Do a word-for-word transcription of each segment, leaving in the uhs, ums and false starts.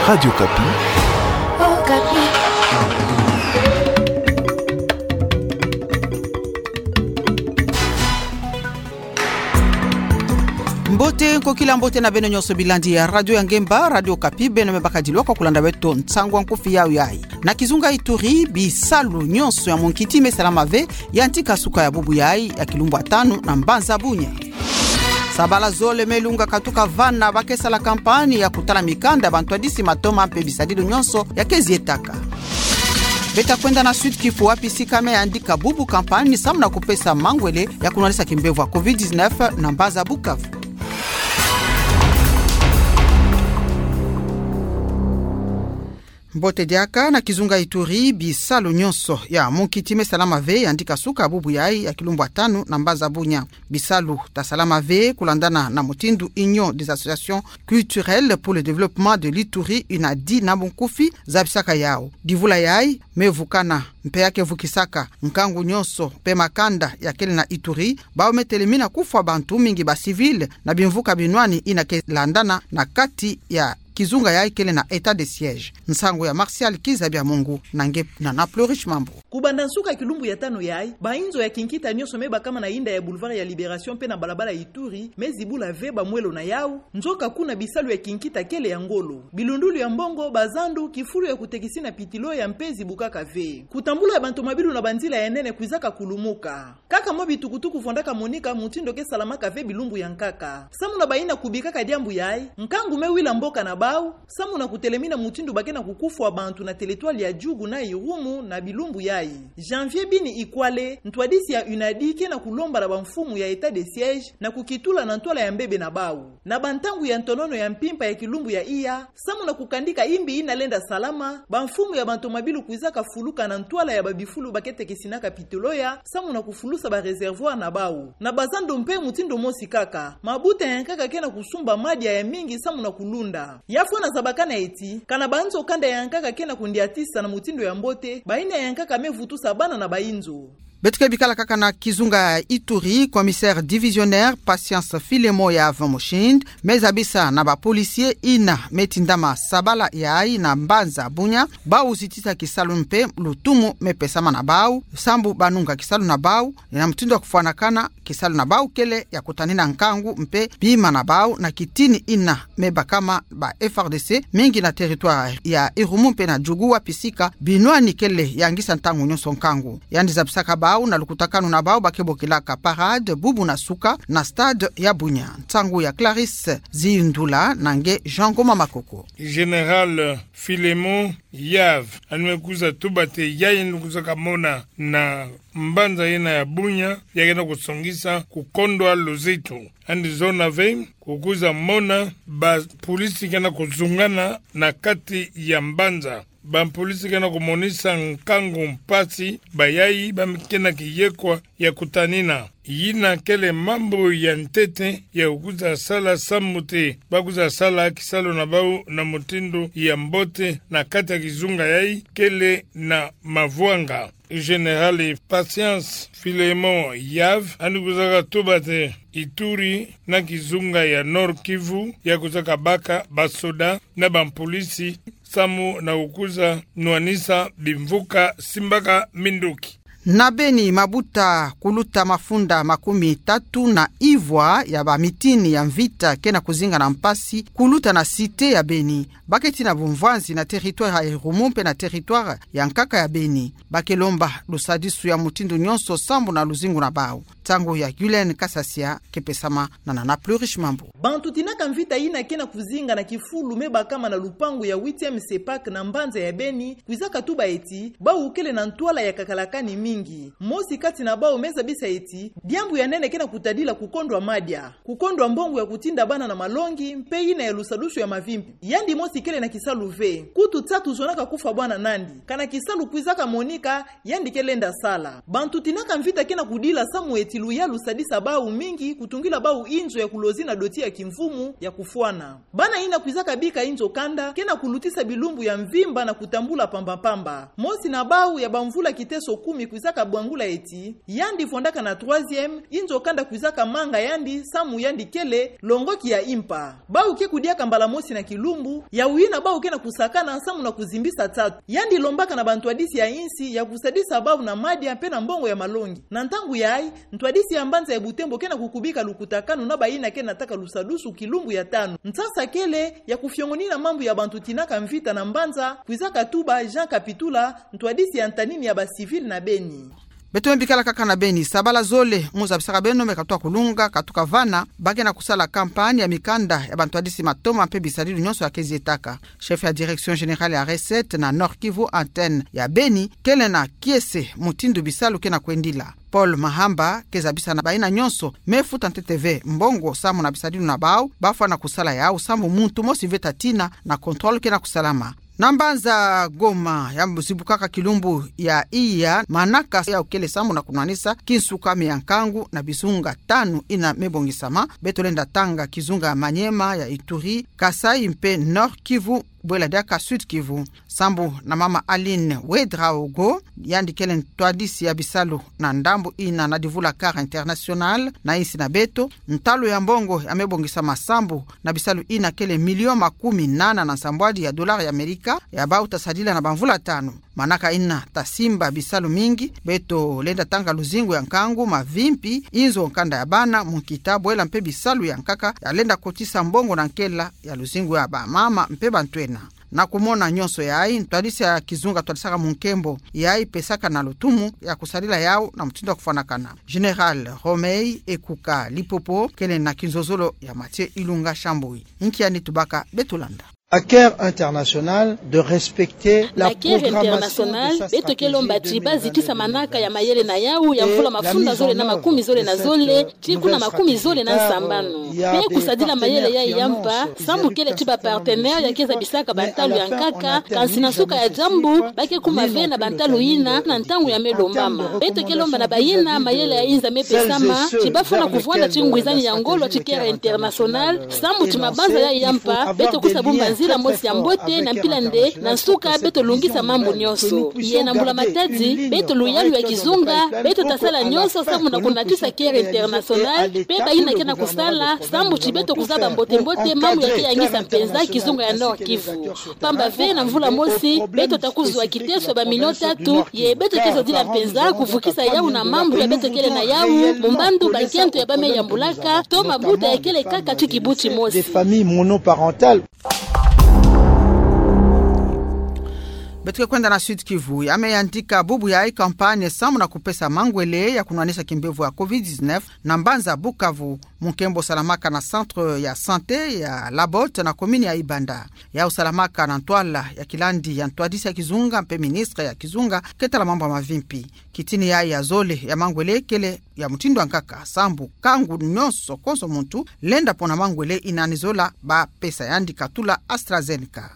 Radio Okapi. Okapi. Mbote, nkokila mbote na beno nyonso bilandi ya radio ya ngemba, Radio Okapi, beno me bakadilu kwa kulanda beto nsangu ya nkufi yayi. Na kizunga Ituri, bisalu nyonso ya munkiti me salama ve, yantika suka ya bubu yayi ya kilumbu ya tanu na mbanza Bunia. Sabala zole me lunga katuka vana ba ke sala kampani ya kutala mikanda ya bantwadisi matoma mpe bisadulu nyonso ya ke zietaka. Beta kwenda na Sud-Kivu wapi sika me yandika bubu kampani samu na kupesa mangwele ya kunwanisa kimbevo ya covid dix-neuf na mbanza Bukavu. Mbote diaka. Na kizunga Ituri, bisalu nyonso ya munkiti me salama ve, yandika suka bubu yayi ya kilumbu ya tanu na mbanza Bunia. Bisalu ta salama ve, kulandana na mutindu Union des Associations Culturelles pour le Développement de l'Ituri, UNADI na bunkufi, zabisaka yawu. Divula yayi me vukana mpe ya ke vukisaka nkangu nyonso mpe makanda ya kele na Ituri, bawu me telemina kufwa bantu mingi ba civils na bimvuka binwani yina ke landana na kati ya kizunga yayi kele na état de siège. Nsangu ya Martial Kiza Bya Mungu na nge Nana Plurish Mambu. Kubanda nsuka ya kilumbu ya tanu yayi, ba inzo ya kinkita nyonso me bakama na yinda ya Boulevard ya Libération mpe na balabala Ituri me zibula ve ba mwelo na yawu, nzoka kuna bisalu ya kinkita kele ya ngolo. Bilundulu ya mbongo, bazandu, kifulu ya kutekisina pitilo ya mpe zibukaka ve. Kutambula ya bantomabilu na banzila ya nene kwizaka kulumuka. Kaka mwa bitukutuku fondaka monika mutindu ke salamaka ve bilumbu ya nkaka. Samu na bayina kubikaka diambu yayi, nkangu me wila mboka na bawu, samu na kutelemina mutindu ba ke na kukufwa bantu na territoire ya Djugu na Irumu na bilumbu yayi. Janvier Bini Ikwale, ntwadisi ya UNADI, ke na kulomba na bamfumu ya état de siège na kukitula na ntwala ya mbebe na bawu. Na bantangu ya ntonono ya mpimpa ya kilumbu ya iya, samu na kukandika imbi yina lenda salama, bamfumu ya bantomabilu kwizaka fuluka na ntwala ya babifulu ba ke tekisinaka pitolo ya, samu na kufulusa ba réservoir na bawu. Na bazandu mpe mutindu mosi kaka, mabuta ya nkaka ke na kusumba madia ya mingi samu na kulunda. Ya fwana zabakana eti, kana banzo kanda ya nkaka ke na kundiatisa na mutindu ya mbote, bayina ya nkaka me vutusa bana na bainzo. Beto ke bikala kaka na kizunga Ituri, commissaire divisionnaire Patience Filemon Yave Mushindi me zabisa na ba policiers yina me tindama sabala yayi na mbanza Bunia, bawu zitisa kisalu mpe lutumu me pesama na bawu, sambu ba nunga kisalu na bawu, na mutindu wa kufwanakana, kisalu na bawu kele ya kutanina nkangu mpe bima na bawu na kitini yina me bakama ba F A R D C, mingi na territoire ya Irumu mpe na Djugu wapi sika binwani kele ya ngisa ntangu nyonso nkangu. Yandi zabisaka bawu na lukutakanu na bawu ba ke bokilaka parade bubu na suka na stade ya Bunia. Nsangu ya Clarisse Ziyindula na nge Jean Ngoma Makoko. Général Filemon Yave, yandi me kwiza tuba te yayi yandi kwizaka mona na mbanza yina ya Bunia, ya ke na kusongisa kukondwa luzitu. Yandi zona ve kukwiza mona ba policiers ke na kuzungana na kati ya mbanza. Ba policiers ke na kumonisa nkangu mpasi bayayi ba me ke na kiyekwa ya kutanina. Yina kele mambu ya ntete ya kukwiza sala samu te ba kwiza sala kisalu na bawu na mutindu ya mbote na kati ya kizunga yayi kele na mavwanga. Général Patience Filemon Yave, yandi kwizaka tuba te Ituri na kizunga ya Nord-Kivu ya kwizaka baka basoda na ba policiers samu na kukwiza nwanisa bimvuka simbaka minduki. Na Beni, mabuta kuluta mafunda makumi tatu na ivwa ya bamitini ya mvita ke na kuzinga na mpasi kuluta na cité ya Beni. Ba ke tina bumvwanzi na territoire ya Irumu mpe na territoire ya nkaka ya Beni. Ba ke lomba lusadisu ya mutindu nyonso sambu na luzingu na bawu. Nsangu ya Guylaine Kasasia ke pesama na Nana Plurish Mambu. Bantu tinaka mvita yina ke na kuzinga na kifulu me bakama na lupangu ya huitième CEPAC na mbanza ya Beni kwizaka tuba eti bawu kele na ntwala ya kakalakani mingi. Mosi kati na bawu me zabisa eti diambu ya nene ke na kutadila kukondwa madia, kukondwa mbongo ya kutinda bana na malongi, mpe yina ya lusadusu ya mavimpi. Yandi mosi kele na kisalu ve. Kutu nsatu zonaka kufwa bwana nandi. Kana kisalu kwizaka monika, yandi ke lenda sala. Bantu tinaka mvita ke na kudila samu eti luyalu lusadisa bawu mingi, kutungila bawu inzo ya kulozi na doti ya kimvumu ya kufwana. Bana yina kwizaka bika inzo kanda ke na kulutisa bilumbu ya mvimba na kutambula pamba-pamba. Mosi na bawu ya bamvula kiteso kumi kwizaka Taka bwangula eti, yandi fondaka na troisième, inzo kanda kwizaka manga yandi, samu yandi kele longoki ya impa. Bau ke kudiaka mbala mosi na kilumbu, ya wina bau ke na kusakana samu na kuzimbisa tatu. Yandi lombaka na bantwadisi ya insi ya kusadisa bau na madia mpe na mbongo ya malongi. Na ntangu yayi, ntwadisi ya mbanza ya Butembo ke na kukubika lukutakanu na bayina ke na taka lusadusu kilumbu ya tanu. Nsasa kele ya kufiongonina mambu ya bantu tinaka mvita na mbanza, kwizaka tuba Jean Kapitula, ntwadisi ya ntanini ya ba civil na Beni. Beto me bikala kaka na Beni, sabala zole mu zabisaka beno me katuka kulunga, katuka vana, ba ke na kusala campagne ya mikanda ya bantwadisi matoma mpe bisadilu nyonso ya ke zietaka. Chef ya Direction Générale ya Recette na Nord-Kivu, antenne ya Beni, kele na kiese mutindu bisalu ke na kwendila. Paul Mahamba ke zabisa na bayina nyonso me futa ntete ve mbongo samu na bisadilu na bau, ba fwana kusala yau samu muntu mosi ve ta tina na contrôle ke na kusalama. Na mbanza Goma ya zibukaka kilumbu ya iya, manaka yau kele samu na kunwanisa kinsuka me ya nkangu na bizunga tanu ina me bongisama, beto lenda tanga kizunga ya Maniema, ya Ituri, Kasaï mpe Nord-Kivu, bwela diaka Sud-Kivu. Sambu na mama Aline Ouedraogo, yandi kele ntwadisi ya bisalu na ndambu ina na divula Cœur International na insi na beto, ntalu ya mbongo ya me bongisama sambu na bisalu ina kele milion makumi nana na nsambwadi ya dollar ya Amerika, ya bau ta sadila na bamvula tanu. Manaka ina ta simba bisalu mingi, beto lenda tanga luzingu ya nkangu, mavimpi, inzo, nkanda ya bana, munkita, bwela mpe bisalu ya nkaka ya lenda kotisa mbongo na nkela ya luzingu ya bamama mpe bantwenia. Na kumona nyonso yayi, ntwadisi ya kizunga twadisaka mu nkembo, yayi pesaka na lutumu ya kusadila yau na mutindu ya kufwanakana. Général Romei Ekuka Lipopo kele na kinzozolo ya Mathieu Ilunga Shambui. Nkia ni tubaka? Beto landa. À Cœur International de respecter la programmation de sa stratégie deux mille vingt-deux. Na Cœur International, beto ke lomba ti ba zitisa manaka ya mayele na yau ya mvula mafunda zole na makumi zole na zole, ti kuna makumi zole na nsambanu. Mpe kusadila mayele yayi ya mpa, sambu kele ti ba partenaire ya ke zabisaka bantalu ya nkaka, kansi na nsuka ya diambu, ba ke kuma ve na bantalu yina, na ntangu ya me lombama. Beto ke lomba na bayina mayele ya inza me pesama, ti ba fwana kuvwanda ti ngwizani ya ngolo ti Cœur International, sambu ti mabanza yayi ya mpa, beto kwiza bumba nzila mosi ya mbote na mpila nde, na nsuka beto lungisa mambu nyonso. Ye na mbula matadi, beto luyalu ya kizunga, beto ta sala nyonso sambu na kunatisa Cœur International, mpe bayina ke na kusala, sambu ti beto kuzaba mbote-mbote mambu ya ke yangisa mpenza kizunga ya Nord-Kivu. Pamba ve na mvula mosi, beto ta kuzwa kiteso ya ba million tatu, ye beto ke zodila mpenza kuvukisa yau na mambu ya beto kele na yau, mu mbandu bankento ya ba me yambulaka, to mabuta ya kele kaka ti kibuti mosi. Des familles monoparentales. Beto ke kwenda na Sud-Kivu, ya me yantika bubu yayi campagne samu na kupesa mangwele ya kunwanisa kimbevo ya covid dix-neuf na mbanza Bukavu, mu nkembo salamaka na centre ya santé ya Labotte na commune ya Ibanda. Yau salamaka na ntwala ya kilandi ya ntwadisi ya kizunga mpe ministre ya kizunga ke tala mambu ya mavimpi. Kitini yayi ya zole ya mangwele kele ya mutindu ya nkaka, sambu kangu nyonso konso muntu lenda pona mangwele ina ni zola ba pesa yandi katula AstraZeneca.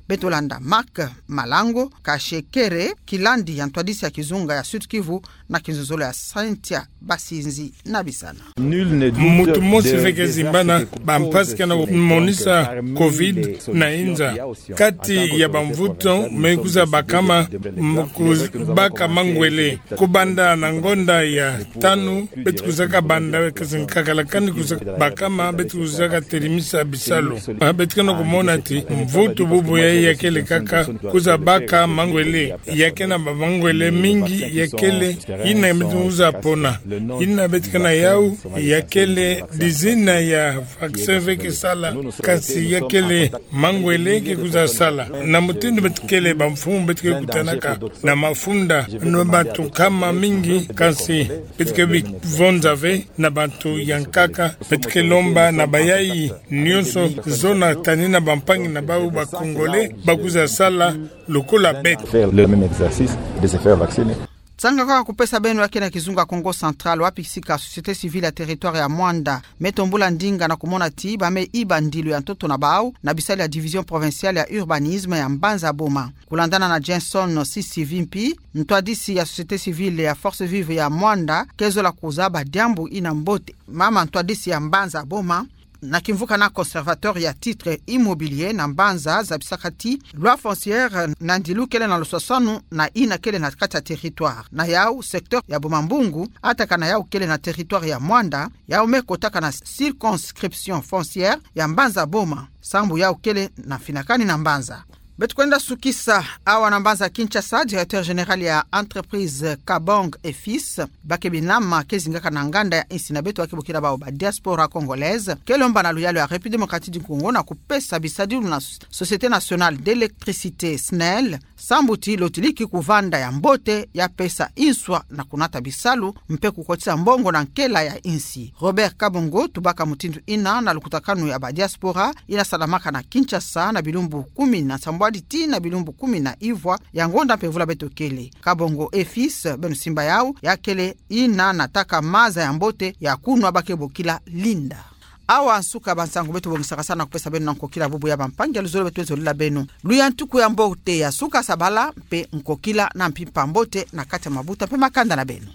Beto landa Marc Malango Kashekere, kilandi ya ntwadisi ya kizunga ya Sud-Kivu, na kinzozolo ya Cynthia Basinzi Nabisana. Muntu mosi ve ke zimbana bampasi ke na monisa covid na inza. Kati ya bamvutu me kwiza bakama, mu kwiza baka mangwele. Kubanda na ngonda ya tanu, beto kwizaka banda, kansi nkakalakani kwiza bakama, beto kwizaka telimisa bisalu. Ah, beto ke na kumona ti mvutu bubu yayi ya kele kaka kwiza baka mangwele. Ya ke na bamangwele mingi ya kele, yina beto kwiza pona. Yina beto ke na yau, ya kele dizina ya vaccin ve ke sala, kansi ya kele mangwele ke kwiza sala. Na mutindu beto kele bamfumu beto ke kutanaka na mafunda, na bantu nkama mingi, kansi beto ke bivonza ve na bantu ya nkaka, beto ke lomba na bayayi nyonso zona tani na bampangi na bau ba Congolais, ba kwiza sala lokola beto. Faire le même exercice de se faire vacciner. Nsanga kwa kupesa beno ya ke na kizunga Kongo Central, wapi sika société civile ya territoire ya Muanda me tombula ndinga na kumona ti ba me iba ndilu ya ntoto na bau na bisalu ya division provinciale ya urbanisme ya mbanza Boma. Kulandana na Jenson Sisivimpi, ntwadisi ya société civile ya Forces Vives ya Muanda, ke zola kuzaba diambu ina mbote. Mama ntwadisi ya mbanza Boma, na kimvuka na conservateur ya titres immobiliers na mbanza zabisaka ti loi foncière na ndilu kele na luswaswanu na ina kele na kati ya territoire. Na yau secteur ya Boma-Mbungu, atakana yau kele na territoire ya Muanda, yau me kotaka na circonscription foncière ya Mbanza-Boma, sambu yau kele na finakani na mbanza. Beto kwenda sukisa awa na mbanza Kinshasa. Directeur général ya entreprise Kabong et Fils, ba ke binama ke zingaka na nganda ya insi na beto, ba ke bokila bawu ba diaspora congolaise, ke lomba na luyalu ya République démocratique du Congo na kupesa bisadilu na Société nationale d'électricité, SNEL, sambu ti lotiliki kuvanda ya mbote, ya pesa inswa na kunata bisalu mpe kukotisa mbongo na nkela ya insi. Robert Kabongo tubaka mutindu ina na lukutakanu ya ba diaspora ina salamaka na Kinshasa na bilumbu kumi na nsambwadi tii na bilumbu kumi na ivwa ya ngonda mpemvula beto kele. Kabongo et Fils, beno simba yau, ya kele ina nataka maza ya mbote ya kunwa ba ke bokila Linda. Awa nsuka ba nsangu beto bongisaka sa na kupesa beno na nkokila bubu ya bampangi ya luzolo beto wenzolila beno. Luyantuku ya mbote ya suka sabala mpe nkokila na mpimpa mbote na kati ya mabuta mpe makanda na beno.